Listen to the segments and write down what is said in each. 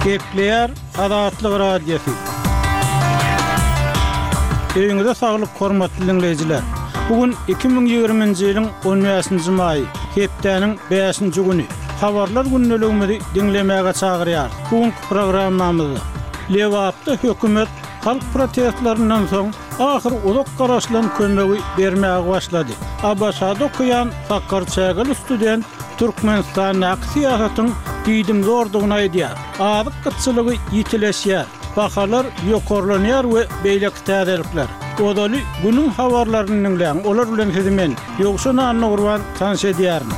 Gepleýär Azatlyk Radiosy. Öýüňize saglyk hormatly diňleýjiler. Bu gün 2020-nji ýylyň 15-nji maýy, hepdäniň bäşinji güni. Habarlar gündeligimizi diňlemäge çagyrýarys. Bu günki programmamyzda Lebapda hökümet halk protestlerinden soň ahyr uzak garaşylan kömegi bermäge başlady. ABŞ-da okaýan sakarçägeli student Türkmenistandaky syýasatyň diýdimzordugyny aýdýar. Azyk gytçylygy ýitileşýär, bahalar ýokarlanýar we beýleki täzelikler. Ozaly günüň habarlaryny diňläň, olar bilen sizi men, Ýowşan Annagurban tanyş edýärin.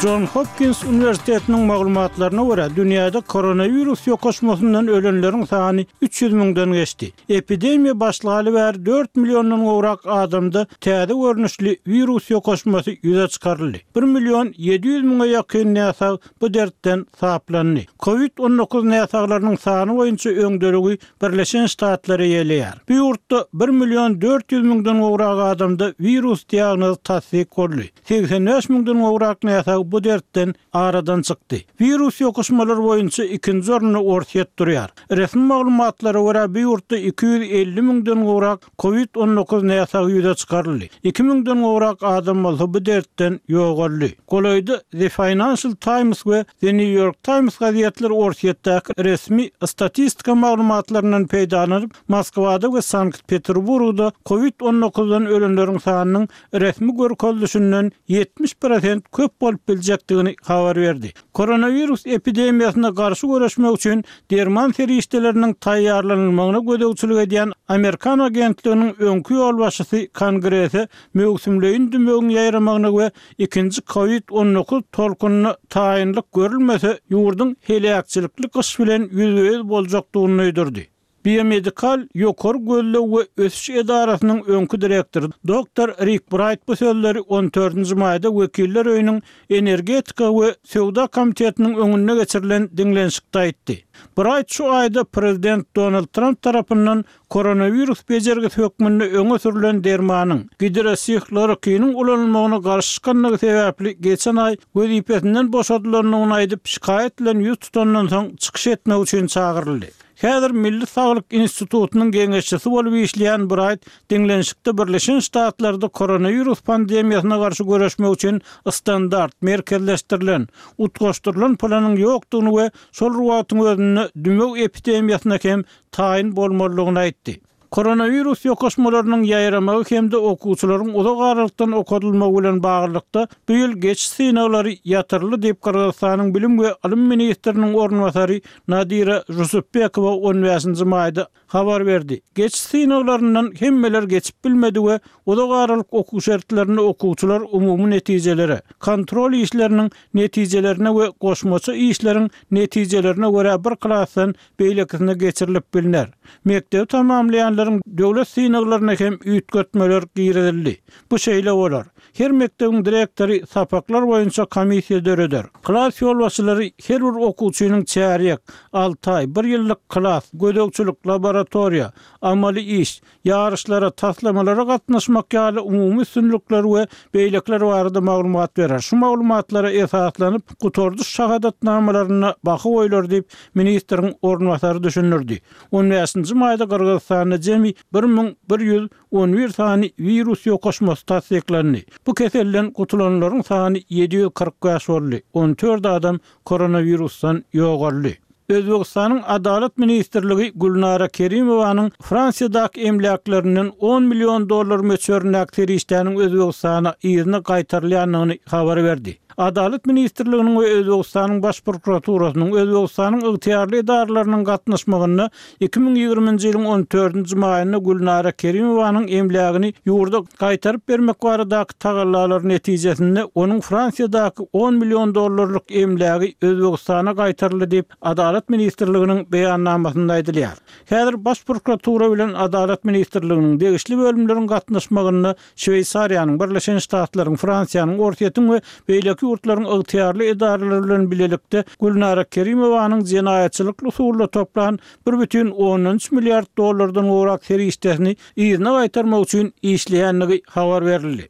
Jon Hopkins uniwersitetiniň maglumatlaryna görä, dünýäde koronawirus ýokaşmasyndan ölenleriň sany 300 müňden geçdi. Epidemiýa başlaly bäri dört milliondan gowrak adamda täze görnüşli wirus ýokaşmasy ýüze çykaryldy. Bir million 700 müňe ýakyn näsag bu dertden saplandy. Covid 19 näsaglarynyň sany boýunça öňdeligi Birleşen Ştatlar eýeleýär. Bu ýurtda bir million 400 müňden gowrak adamda wirus diagnozy tassyk boldy. 85 müňden gowrak näsag bu dertden aradan çykdy. Wirus ýokuşmalary boýunça ikinji orunda Orsýet durýar. Resmi maglumatlara görä, bu ýurtda 250 müňden gowrak Covid 19 näsagy ýüze çykaryldy. Iki müňden gowrak adam bolsa bu dertden ýogaldy. Golaýda The Financial Times we The New York Times gazetleri Orsýetdäki resmi statistika maglumatlaryndan peýdalanyp, Moskwada we Sankt-Peterburgda Covid 19-dan ölenleriň sanynyň resmi görkezilişinden 70 prosent köp bolup biljekdigini habar berdi. Koronawirus epidemiýasyna garşy göreşmek üçin derman serişdeleriniň taýýarlanylmagyna gözegçilik edýän amerikan agentliginiň öňki ýolbaşçysy Kongrese möwsümleýin dümewiň ýaýramagyna we ikinji Covid 19 tolkunyna taýynlyk görülmese, ýurduň heläkçilikli gyş bilen ýüzbe-ýüz boljakdygyny duýdurdy. Biomedikal ýokary gözleg we ösüş edarasynyň öňki direktory doktor Rik Braýt bu sözleri on dördünji maýda Wekiller öýüniň Energetika we söwda komitetiniň öňünde geçirilen diňlenişikde aýtdy. Braýt şu aýda prezident Donald Tramp tarapyndan koronawirus bejergisi hökmünde öňe sürlen dermanyň, gidrosihlorokiniň ulanylmagyna garşy çykandygy sebäpli geçen aý wezipesinden boşadylandygyny aýdyp, şikaýat bilen ýüz tutandan soň çykyş etmek üçin çagyryldy. Häzir Milli saglyk institutynyň geňeşçisi bolup işleýän Braýt diňlenişikde Birleşen Ştatlarda koronawirus pandemiýasyna garşy göreşmek üçin standart, merkezleşdirilen, utgaşdyrylan planyň ýokdugyny we şol bir wagtyň özünde dümew epidemiýasyna hem taýyn bolmalydygyny aýtdy. Koronawirus ýokaşmalarynyň ýaýramagy hem-de okuwçylaryň uzak aralykdan okadylmagy bilen baglylykda, bu ýyl geçiş synaglary ýatyryldy diýip, Gyrgyzystanyň bilim we ylym ministriniň orunbasary Nadira Žusupbekowa on bäşinji maýda habar berdi. Geçiş synaglaryndan hemmeler geçip bilmedi we uzak aralyk okuw şertlerinde okuwçylar umumy netijelere, kontrol işleriniň netijelerine we goşmaça işleriň netijelerine görä bir klasdan beýlekisine geçirilip bilner. Mekdebi tamamlaýanlaryň döwlet synaglaryna hem üýtgetmeler girizildi. Bu şeýle bolar. Her mekdebiň direktory sapaklar boýunça komissiýa döreder. Klas ýolbaşçylary her bir okuwçynyň çärýek, alty aý, bir ýyllyk klas, gözegçilik, laboratoriýa, amaly iş, ýaryşlara, taslamalara gatnaşmak ýaly umumy üstünlikler we beýlekiler barada maglumat berer. Şu maglumatlara esaslanyp, gutardyş şahadatnamalarynda baha goýlar diýip, ministriň orunbasary düşündirdi. On bäşinji maýda Gyrgyzystanda jemi 1111 sany wirus ýokaşmasy tassyklandy. Bu keselden gutulanlaryň sany 745 boldy, on dört adam koronawirusdan ýogaldy. Özbegistanyň Adalat ministrligi Gülnara Kerimowanyň Fransiýadaky emläklerinden on million dollar möçberindäki serişdäniň Özbegistana yzyna gaýtarylýandygyny habar berdi. Adalat ministrliginiň we Özbegistanyň Baş prokuraturasynyň, Özbegistanyň ygtyýarly edaralarynyň gatnaşmagynda 2020-nji ýylyň on dördünji maýynda Gülnara Kerimowanyň emlägini ýurda gaýtaryp bermek baradaky tagallalary netijesinde onuň Fransiýadaky on million dollarlyk emlägi Özbegistana gaýtaryldy diýip, Adalat ministrliginiň beýannamasynda aýdylýar. Häzir Baş prokuratura bilen Adalat ministrliginiň degişli bölümleriň gatnaşmagynda Şweýsariýanyň, Birleşen Ştatlaryň, Fransiýanyň, Orsýetiň we beýleki ýurtlaryň ygtyýarly edaralary bilen bilelikde Gülnara Kerimowanyň jenaýatçylykly usulda toplan bir bütin ondan üç milliard dollardan gowrak serişdesini yzyna gaýtarmak üçin işleýändigi habar berildi.